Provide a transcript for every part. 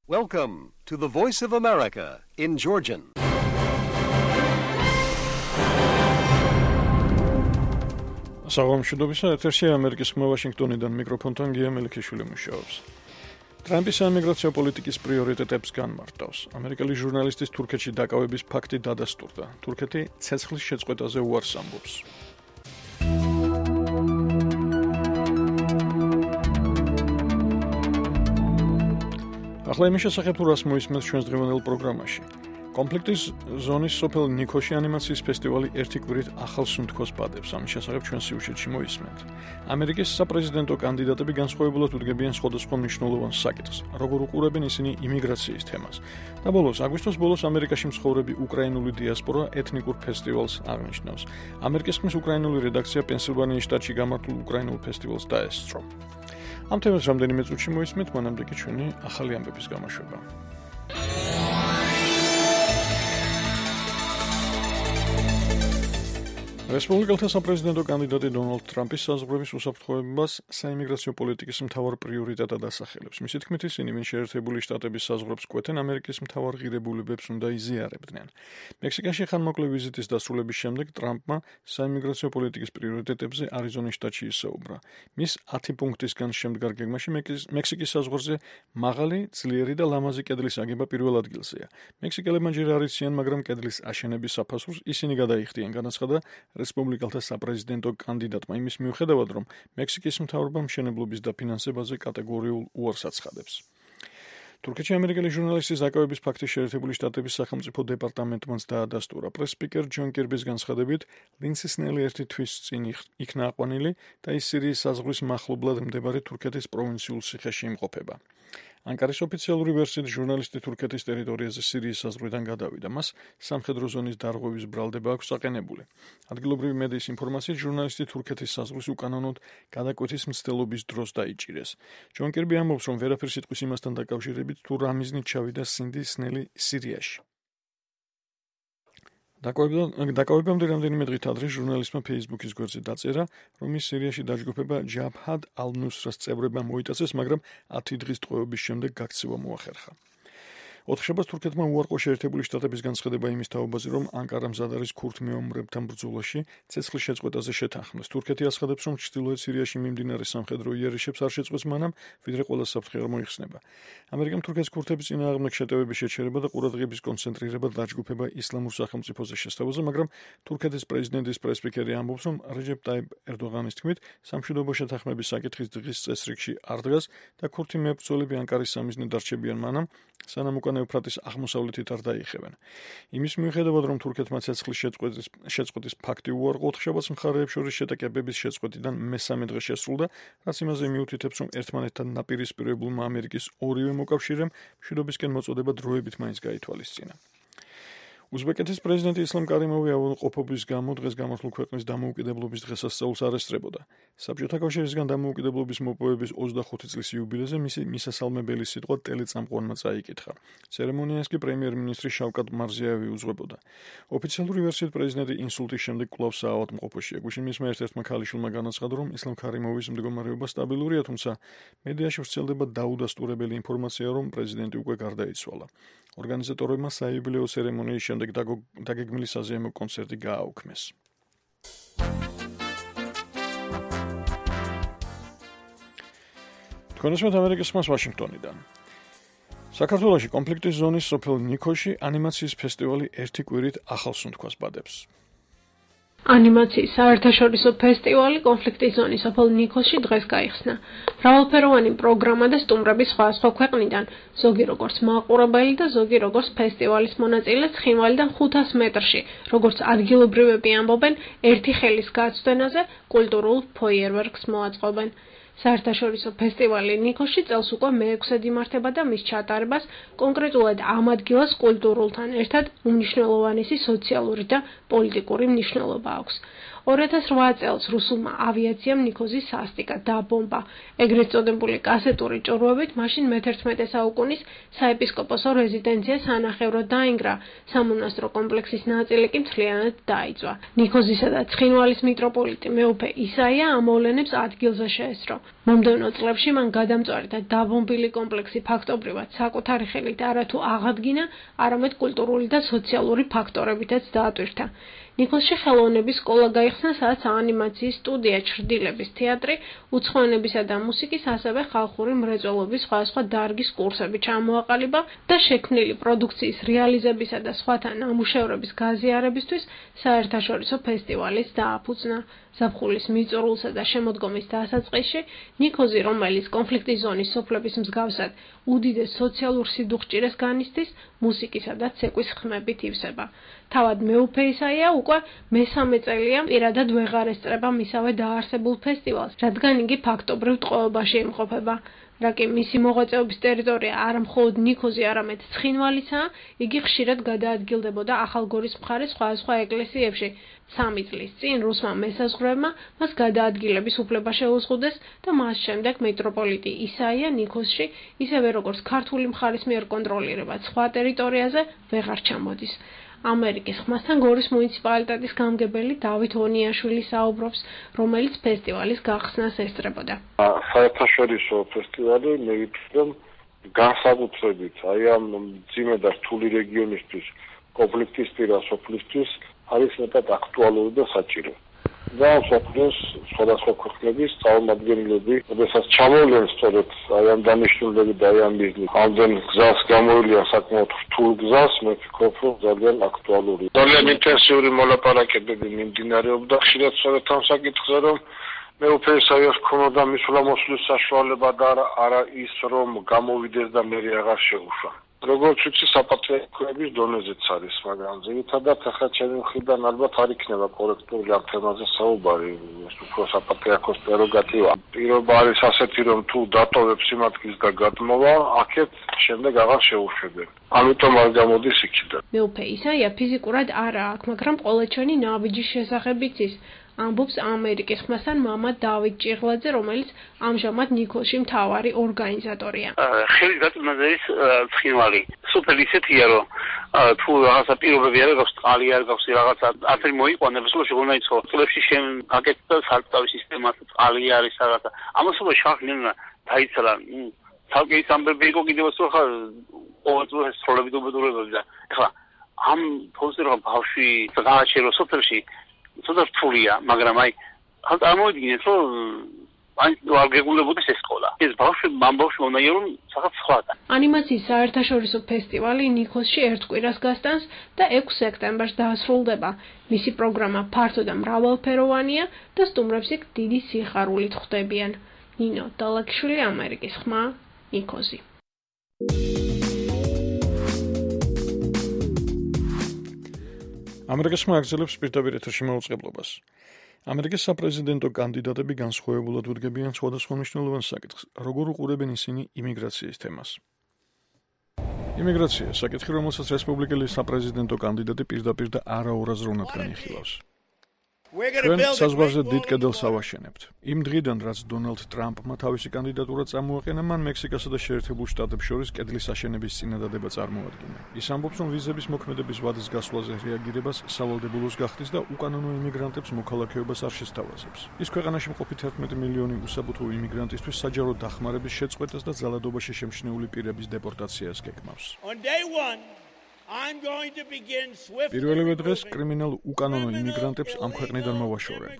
Welcome to the Voice of America in Georgian. საღამოშიდობისა ეთერში ამერიკის ხმა ვაშინგტონიდან მიკროფონთან გია მელიქიშვილი მუშაობს. ტრამპის საიმიგრაციო პოლიტიკის პრიორიტეტებს განმარტავს. ამერიკელი ჟურნალისტის თურქეთში დაკავების ფაქტი დადასტურდა. თურქეთი ცეცხლის შეწყვეტაზე უარს ამბობს. ახლა იმის შესახებ თუ რას მოისმენთ ჩვენს დღევანდელ პროგრამაში. კონფლიქტის ზონის სოფელ ნიქოში ანიმაციის ფესტივალი ერთი კვირით ახალ სუნთქოს ბადებს. ამის შესახებ ჩვენ სიუჟეტში მოისმენთ. ამერიკის საპრეზიდენტო კანდიდატები განსხვავებულად უდგებიან სხვადასხვა მნიშვნელოვან საკითხს, როგორ უყურებენ ისინი იმიგრაციის თემას. და ბოლოს, აგვისტოს ბოლოს ამერიკაში მცხოვრები უკრაინული დიასპორა ეთნიკურ ფესტივალს აღნიშნავს. ამერიკის ხმის უკრაინული რედაქცია პენსილვანიის შტატში გამართულ უკრაინულ ფესტივალს დაესწრო. ამ თემას რამდენიმე წუთში მოისმენთ, მანამდე კი ჩვენი ახალი ამბების გამოშვება. რესპუბლიკელთა საპრეზიდენტო კანდიდატი დონალდ ტრამპის საზღვრების უსაფრთხოებას საიმიგრაციო პოლიტიკის მთავარ პრიორიტეტად ასახელებს. მისი თქმით, ისინი ვინ შეერთებული შტატების საზღვრებს კვეთენ, ამერიკის მთავარ ღირებულებებს უნდა იზიარებდნენ. მექსიკაში ხანმოკლე ვიზიტის დასრულების შემდეგ ტრამპმა საიმიგრაციო პოლიტიკის პრიორიტეტებზე არიზონის შტატში ისაუბრა. მის 10 პუნქტისგან შემდგარ გეგმაში მექსიკის საზღვარზე მაღალი, ძლიერი და ლამაზი კედლის აგება პირველ ადგილზეა. მექსიკელებმა ჯერ არ იციან, მაგრამ კედლის აშენების საფასურს ისინი გადაიხდიან, განაცხადა რესპუბლიკელთა საპრეზიდენტო კანდიდატმა იმის მიუხედავად, რომ მექსიკის მთავრობა მშენებლობის დაფინანსებაზე კატეგორიულ უარს აცხადებს. თურქეთში ამერიკელი ჟურნალისტის დაკავების ფაქტი შეერთებული შტატების სახელმწიფო დეპარტამენტმაც დაადასტურა. პრეს-სპიკერ ჯონ კირბის განცხადებით, ლინდსი სნელი ერთი თვის წინ იქნა აყვანილი და ის სირიის საზღვრის მახლობლად მდებარე თურქეთის პროვინციულ ციხეში იმყოფება. ანკარის ოფიციალური ვერსიით ჟურნალისტი თურქეთის ტერიტორიაზე სირიის საზღვრიდან გადავიდა. მას სამხედრო ზონის დარღვევის ბრალდება აქვს აყენებული. ადგილობრივი მედიის ინფორმაციით, ჟურნალისტი თურქეთის საზღვრის უკანონოდ გადაკვეთის მცდელობის დროს დაიჭირეს. ჯონ კირბი ამბობს, რომ ვერაფერ სიტყვის იმასთან დაკავშირებით, თუ რა მიზნით ჩავიდა სინდი სნელი სირიაში. დაკავებამდე რამდენიმე დღით ადრე ჟურნალისტმა Facebook-ის გვერდზე დაწერა, რომ ის სირიაში დაჯგუფება ჯაბჰად ალ-ნუსრას წევრებმა მოიტაცეს, მაგრამ 10 დღის ტყვეობის შემდეგ გაქცევა მოახერხა. ოთხშაბათს თურქეთმა უარყო შეერთებული შტატების განცხადება იმის თაობაზე, რომ ანკარა მზად არის ქურთ მეომრებთან ბრძოლაში ცეცხლის შეწყვეტაზე შეთანხმდეს. თურქეთი აცხადებს, რომ ჩრდილოეთ სირიაში მიმდინარე სამხედრო იარიშებს არ შეწყვეტს მანამ, ვიდრე ყველა საფრთხე არ მოიხსნება. ამერიკამ თურქეთის ქურთების წინააღმდეგ შეტევების შეჩერება და ყურადღების კონცენტრირება დაჯგუფება ისლამურ სახელმწიფოზე შესთავაზე, მაგრამ თურქეთის პრეზიდენტის პრეს-სპიკერი ამბობს, რომ რეჯეპ ტაიპ ერდოღანის თქმით, სამშვიდობო შეთანხმების საკითხის დღის წესრიგში არ დგას და ქურთი მებრძოლები ანკარის სამიზნედ დარჩებიან მანამ, სანამ უკან ეუფრატის აღმოსავლეთით არ დაიხევენ. იმის მიუხედავად, რომ თურქეთმა ცეცხლის შეწყვეტის ფაქტი უარყო, ოთხშაბათს მხარეებს შორის შეტაკებების შეწყვეტიდან მესამე დღე შესრულდა, რაც იმაზე მიუთითებს, რომ ერთმანეთთან ნაპირისპირებულმა ამერიკის ორივე მოკავშირემ მშვიდობისკენ მოწოდება დროებით მაინც გაითვალისწინა. უზბეკეთის პრეზიდენტი ისლამ კარიმოვი ავადმყოფობის გამო დღეს გამართულ ქვეყნის დამოუკიდებლობის დღესასწაულს არ ესწრებოდა. საბჭოთა კავშირისგან დამოუკიდებლობის მოპოვების 25 წლის იუბილეზე მისი მისასალმებელი სიტყვა ტელეწამყვანმა წაიკითხა. ცერემონიას კი პრემიერ-მინისტრი შავკატ მარზიევი უძღვებოდა. ოფიციალური ვერსიით პრეზიდენტი ინსულტის შემდეგ კვლავ საავადმყოფოშია. გუშინმისმა ერთ-ერთმა ქალიშვილმა განაცხადა, რომ ისლამ კარიმოვის მდგომარეობა სტაბილურია, თუმცა მედიაში ვრცელდება დაუდასტურებელი ინფორმაცია, რომ პრეზიდენტი უკვე გარდაიცვალა. ორგანიზატორებმა საიუბილეო ცერემონიის შემდეგ დაგეგმილი საზეიმო კონცერტი გააუქმეს. თქვენესმეთ ამერიკის ხმას ვაშინგტონიდან. საქართველოში კონფლიქტის ზონის სოფელ ნიქოში ანიმაციის ფესტივალი ერთი კვირით ახალ სუნთქვას ბადებს. ანიმაციის საერთაშორისო ფესტივალი კონფლიქტის ზონის სოფელ ნიქოში დღეს გაიხსნა. მრავალფეროვანი პროგრამა და სტუმრები სხვადასხვა ქვეყნიდან, ზოგი როგორც მაყურებელი და ზოგი როგორც ფესტივალის მონაწილე ცხინვალიდან 500 მეტრში, როგორც ადგილობრივები ამბობენ, ერთი ხელის გაცდენაზე კულტურულ ფოიერვერკს მოაწყობენ. საერთაშორისო ფესტივალი ნიქოში წელს უკვე მე-6-ად იმართება და მის ჩატარებას კონკრეტულად ამ ადგილას კულტურულთან ერთად უმნიშვნელოვანესი სოციალური და პოლიტიკური მნიშვნელობა აქვს. 2008 წელს რუსულმა ავიაციამ ნიქოზი სასტიკა დაბომბა. ეგრეთ წოდებული კასეტური ჭურვებით მაშინ მე-11 საუკუნის საეპისკოპოსო რეზიდენცია სანახევროდ დაინგრა. სამონასტრო კომპლექსის ნაწილი კი მთლიანად დაიწვა. ნიქოზისა და ცხინვალის მიტროპოლიტი მეუფე ისაია ამოვლენებს ადგილზე შეესწრო. მომდევნო წლებში მან გადამწვარი და დაბომბილი კომპლექსი ფაქტობრივად საკუთარი ხელით არათუ აღადგინა, არამედ კულტურული და სოციალური ფაქტორებითაც დაატვირთა. ნიკოლსში ხელოვნების სკოლა გაიხსნა, სადაც ანიმაციის სტუდია, ჩრდილების თეატრი, უცხოენებისა და მუსიკის, ასევე ხალხური მრეწველობის სხვადასხვა დარგის კურსები ჩამოაყალიბა და შექმნილი პროდუქციის რეალიზებისა და სხვათა ნამუშევრების გაზიარებისთვის საერთაშორისო ფესტივალის დააფუძნა. ზაფხულის მიწურულსა და შემოდგომის დასაწყისში ნიკოზი, რომელიც კონფლიქტის ზონის სოფლების მსგავსად უდიდეს სოციალურ სიდუხჭირეს განიცდის, მუსიკისა და ცეკვის ხმებით ივსება. თავად მეუფე ისაია უკვე მესამე წელია პირადად ვეღარ ესწრება მისავე დაარსებულ ფესტივალს, რადგან იგი ფაქტობრივ ტყვეობაში იმყოფება. რა კი მისი მოღვაწეობის ტერიტორია არა მხოლოდ ნიკოზი, არამედ ცხინვალიცაა, იგი ხშირად გადაადგილდებოდა ახალგორის მხარის სხვადასხვა ეკლესიებში. 3 წლის წინ რუსმა მესაზღვრეებმა მას გადაადგილების უფლება შეუზღუდეს და მას შემდეგ მეტროპოლიტი ისაია ნიკოზში, ისევე როგორც ქართული მხარის მიერ კონტროლირებად სხვა ტერიტორიაზე ვეღარ ჩამოდის. ამერიკის ხმასთან გორის მუნიციპალიტეტის გამგებელი დავით ონიაშვილი საუბრობს, რომელიც ფესტივალის გახსნას ესწრებოდა. საერთაშორისო ფესტივალი მე ვიტყვი, რომ განსაკუთრებით აი ამ მძიმე და რთული რეგიონისთვის, კონფლიქტის პირას სოფლისთვის არის მეტად აქტუალური და საჭირო. და სოფლის სხვადასხვა ქვეყნების წარმომადგენლები, როდესაც ჩამოვლენ სწორედ აი ამ დანიშნულები და აი ამ მიზნით, ამდენ გზას გამოვლიან საკმაოდ რთულ გზას, მე ვფიქრობ, რომ ძალიან აქტუალური. ძალიან ინტენსიური მოლაპარაკებები მიმდინარეობდა, ხშირად სწორედ ამ საკითხზე, რომ მე უფე ისაიას ქონოდა მისვლა-მოსვლის საშუალება და არა ის, რომ გამოვიდეს და მე აღარ შეუშვა. როგორც ვიცი, საპატრიარქოების დონეზეც არის, მაგრამ ძირითადად ახლა ჩემი მხრიდან ალბათ არ იქნება კორექტული ამ თემაზე საუბარი, ეს უფრო საპატრიარქოს პრეროგატივა. პირობა არის ასეთი, რომ თუ დატოვებს სიმართლის და გადმოვა, აქეთ შემდეგ აღარ შეუშვებენ. ამიტომ არ გამოდის იქიდან. მეუფე ისაია ფიზიკურად არა აქვს, მაგრამ ყოველჩვენი ნაბიჯის შესახებ იცის. ამბობს ამერიკის ხმასთან მამა დავით ჭიღლაძე, რომელიც ამჟამად ნიკოლსში მთავარი ორგანიზატორია. ხელის გაწმენაზე ის ცხინვალი. სუპერ ისეთია, რომ თუ რაღაცა პირობები არ გაქვს, წყალი არ გაქვს, რაღაცა ათერი მოიყვანებს, სულ შეგონაიცო. წლებში აკეთდა სარწყავი სისტემა, წყალი არის რაღაცა. ამასობა შახნენა დაიცალა. თალკე ის ამბები იყო კიდევ ხო ყოველწლიურად სროლები დუბედურებები და ეხლა ამ ფონზე რომ ბავშვი გააჩერო სოფელში ცოტა რთულია, მაგრამ აი წარმოვიდგინეთ, რომ ან არ გეგულებოდეს ეს სკოლა. ეს ბავშვი უნდა რომ რაღაც სხვადა. ანიმაციის საერთაშორისო ფესტივალი ნიკოლსში ერთ კვირას გასტანს და 6 სექტემბერს დაასრულდება. მისი პროგრამა ფართო და მრავალფეროვანია და სტუმრებს იქ დიდი სიხარულით ხვდებიან. ნინო დალაკშვილი, ამერიკის ხმა, ნიკოზი. ამერიკის ხმა აგრძელებს პირდაპირ ეთერში მაუწყებლობას. ამერიკის საპრეზიდენტო კანდიდატები განსხვავებულად უდგებიან სხვადასხვა მნიშვნელოვან საკითხს, როგორ უყურებენ ისინი იმიგრაციის თემას. იმიგრაცია საკითხი, რომელსაც რესპუბლიკელი საპრეზიდენტო კანდიდატი პირდაპირ და არაურაზროვნად განიხილავს. ჩვენ საზღვარზე დიდ კედელს ავაშენებთ. იმ დღიდან, რაც დონალდ ტრამპმა თავისი კანდიდატურა წამოაყენა, მან მექსიკასა და შეერთებულ შტატებს შორის კედლის აშენების წინადადება წარმოადგინა. ის ამბობს, რომ ვიზების მოქმედების ვადის გასვლაზე რეაგირებას სავალდებულოს გახდის და უკანონო იმიგრანტებს მოქალაქეობას არ შესთავაზებს. ის ქვეყანაში მყოფი 11 მილიონი უსაფრთხო იმიგრანტისთვის საჯარო დახმარების შეწყვეტას და ძალადობაში შემჩნეული პირების დეპორტაციას გეგმავს. პირველივე დღეს კრიმინალ უკანონო იმიგრანტებს ამ ქვეყნიდან მოვაშორებ.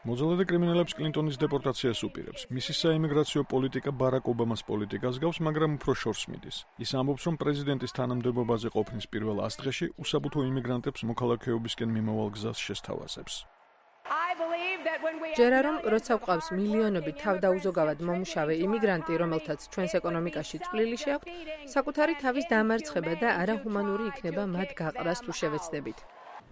მოძალადე კრიმინალებს კლინტონის დეპორტაციას უპირებს. მისი საიმიგრაციო პოლიტიკა ბარაკ ობამას პოლიტიკას გავს, მაგრამ უფრო შორს მიდის. ის ამბობს, რომ პრეზიდენტის თანამდებობაზე ყოფნის პირველ 100 დღეში უსაფრთხო იმიგრანტებს მოქალაქეობისკენ მიმავალ გზას შესთავაზებს. ჯერა რომ როცა გვყავს მილიონობით თავდაუზოგავად მომუშავე იმიგრანტი, რომელთაც ჩვენს ეკონომიკაში წვლილი შეაქვთ, საკუთარი თავის დამარცხება და არაჰუმანური იქნება მათ გაყრას თუ შევეცდებით.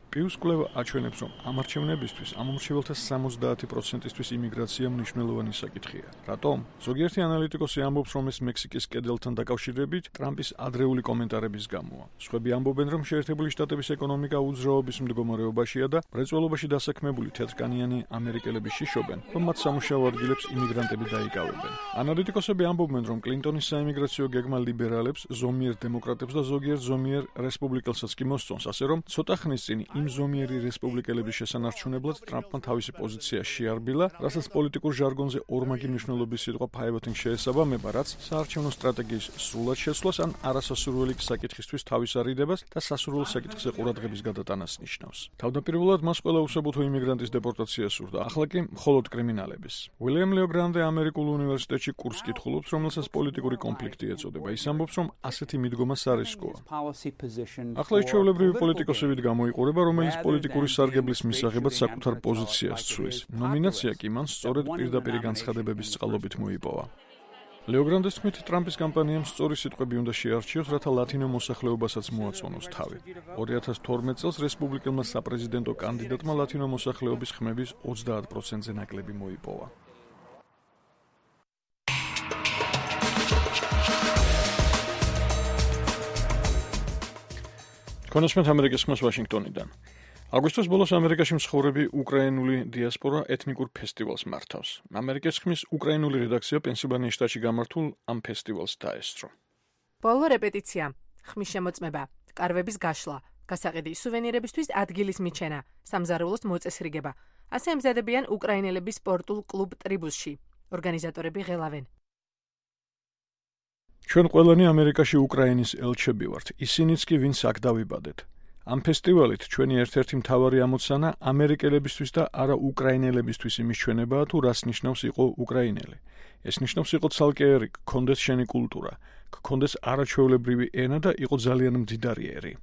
პიუს კვლევა აჩვენებს, რომ ამ არჩევნებისთვის ამომრჩეველთა 70%-ისთვის იმიგრაცია მნიშვნელოვანი საკითხია. რატომ? ზოგიერთი ანალიტიკოსი ამბობს, რომ ეს მექსიკის კედელთან დაკავშირებით ტრამპის ადრეული კომენტარების გამოა. სხვები ამბობენ, რომ შეერთებული შტატების ეკონომიკა უძრაობის მდგომარეობაშია და მრეწველობაში დასაქმებული თეთრკანიანი ამერიკელები შიშობენ, რომ მათ სამუშაო ადგილებს იმიგრანტები დაიკავებენ. ანალიტიკოსები ამბობენ, რომ კლინტონის საიმიგრაციო გეგმა ლიბერალებს, ზომიერ დემოკრატებს და ზოგიერთ ზომიერ რესპუბლიკელსაც კი მოსწონს, ასე რომ ცოტა ხნის წინ იმ მზომიერი რესპუბლიკელების შესანარჩუნებლად ტრამპმა თავისი პოზიცია შეარბილა, რასაც პოლიტიკურ ჟარგონზე ორმაგი მნიშვნელობის სიტყვა pivoting შეესაბამება, რაც საარჩევნო სტრატეგიის სრულად შესვლას ან არასასურველი საკითხისთვის თავის არიდებას და სასურველ საკითხზე ყურადღების გადატანას ნიშნავს. თავდაპირველად მას ყველა უსაბუთო იმიგრანტის დეპორტაცია სურდა, ახლა კი მხოლოდ კრიმინალების. უილიამ ლეო გრანდე ამერიკულ უნივერსიტეტში კურსს კითხულობს, რომელსაც პოლიტიკური კონფლიქტი ეწოდება. ის ამბობს, რომ ასეთი მიდგომა სარისკოა. ახლა ის ჩვეულებრივი პოლიტიკოსებით გამოიყურება, რომელიც პოლიტიკური სარგებლის მისაღებად საკუთარ პოზიციას ცვლის. ნომინაცია კი მან სწორედ პირდაპირი განცხადებების წყალობით მოიპოვა. ლეო გრანდეს თქმით, ტრამპის კამპანიამ სწორი სიტყვები უნდა შეარჩიოს, რათა ლათინო მოსახლეობასაც მოაწონოს თავი. 2012 წელს რესპუბლიკელმა საპრეზიდენტო კანდიდატმა ლათინო მოსახლეობის ხმების 30%-ზე ნაკლები მოიპოვა. კონსმეთ ამერიკის ხმას ვაშინგტონიდან. აგვისტოს ბოლოს ამერიკაში მსხოვრები უკრაინული დიასპორა ეთნიკურ ფესტივალს მართავს. ამერიკის ხმის უკრაინული რედაქცია პენსილვანიის შტატში გამართულ ამ ფესტივალს დაესწრო. ბოლო რეპეტიცია, ხმის შემოწმება, კარვების გაშლა, გასაყიდი სუვენირებისთვის ადგილის მიჩენა, სამზარეულოს მოწესრიგება. ასე ემზადებიან უკრაინელების სპორტულ კლუბ ტრიბუსში. ორგანიზატორები ღელავენ. ჩვენ ყველანი ამერიკაში უკრაინის ელჩები ვართ, ისინიც კი ვინც აქ დავიბადეთ. ამ ფესტივალით ჩვენი ერთ-ერთი მთავარი ამოცანა ამერიკელებისთვის და არა უკრაინელებისთვის იმის ჩვენებაა, თუ რას ნიშნავს იყო უკრაინელი. ეს ნიშნავს იყო ცალკეერი, გქონდეს შენი კულტურა, გქონდეს არაჩვეულებრივი ენა და იყო ძალიან მდიდარი ერი.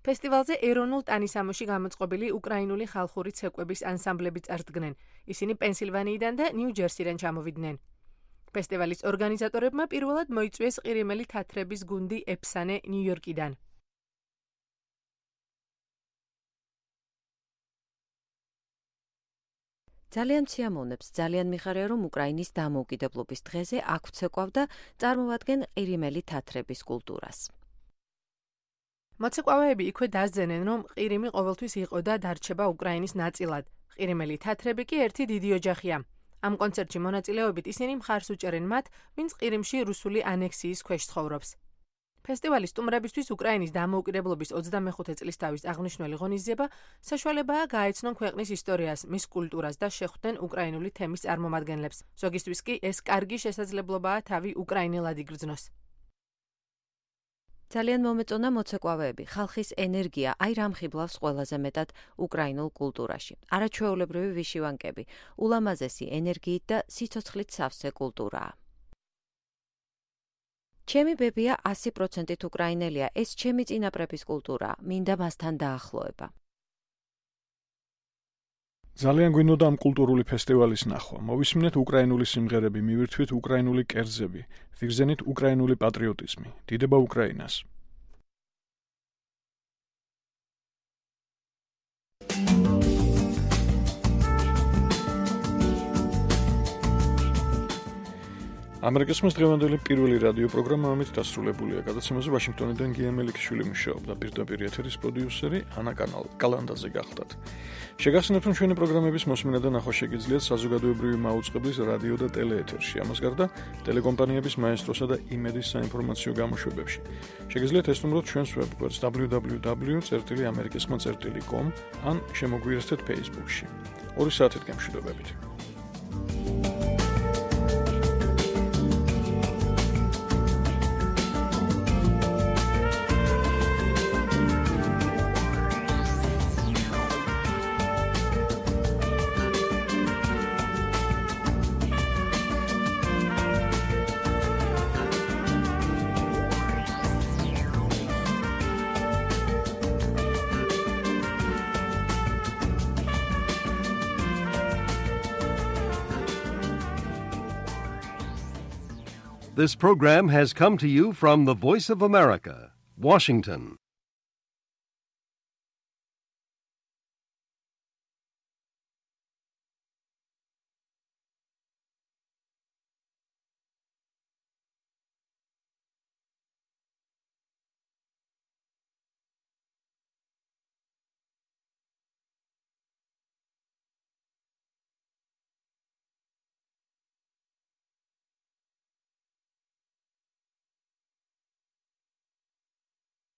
ფესტივალზე ეროვნულ ტანისამოში გამოწყობილი უკრაინული ხალხური ცეკვების ანსამბლები წარდგნენ. ისინი პენსილვანიიდან და ნიუ-ჯერსიდან ჩამოვიდნენ. ფესტივალის ორგანიზატორებმა პირველად მოიწვიეს ყირიმელი თათრების გუნდი ეფსანე ნიუ-იორკიდან. ძალიან სიამოვნებს, ძალიან მიხარია, რომ უკრაინის დამოუკიდებლობის დღეზე აქ ვცეკვავ და წარმოვადგენ ყირიმელი თათრების კულტურას. მოცეკვავეები იქვე დასძენენ, რომ ყირიმი ყოველთვის იყო და დარჩება უკრაინის ნაწილად. ყირიმელი თათრები კი ერთი დიდი ოჯახია. ამ კონცერტში მონაწილეობით ისინი მხარს უჭერენ მათ, ვინც ყირიმში რუსული ანექსიის ქვეშ ცხოვრობს. ფესტივალის სტუმრებისთვის უკრაინის დამოუკიდებლობის 25 წლისთავის აღნიშნული ღონისძიება საშუალებაა გაეცნონ ქვეყნის ისტორიას, მის კულტურას და შეხვდნენ უკრაინული თემის წარმომადგენლებს. ზოგისთვის კი ეს კარგი შესაძლებლობაა თავი უკრაინელად იგრძნოს. ძალიან მომეწონა მოცეკვავეები, ხალხის ენერგია, აი რამ ხიბლავს ყველაზე მეტად უკრაინულ კულტურაში. არაჩვეულებრივი ვიშივანკები, ულამაზესი ენერგიით და სიცოცხლით სავსე კულტურაა. ჩემი ბებია 100%-ით უკრაინელია, ეს ჩემი წინაპრების კულტურაა, მინდა მასთან დაახლოება. ძალიან გვინდოდა ამ კულტურული ფესტივალის ნახვა. მოვისმინეთ უკრაინული სიმღერები, მივირთვით უკრაინული კერძები, ვიგრძენით უკრაინული პატრიოტიზმი. დიდება უკრაინას! ამერიკის ხმის დღევანდელი პირველი რადიო პროგრამა ამით დასრულებულია. გადაცემაზე ვაშინგტონიდან გია მელიქიშვილი მუშაობდა, პირდაპირ ეთერის პროდიუსერი ანა კალანდაძე გახლდათ. შეგახსენებთ, რომ ჩვენი პროგრამების მოსმენა და ნახვა შეგიძლიათ საზოგადოებრივი მაუწყებლის რადიო და ტელეეთერში. ამას გარდა ტელეკომპანიების მაესტროსა და იმედის საინფორმაციო გამოშვებებში. შეგიძლიათ ესტუმროთ ჩვენს ვებგვერდს www.amerikiskhma.com ან შემოგვიერთდეთ Facebook-ში. 2 საათით გემშვიდობებით. This program has come to you from the Voice of America, Washington.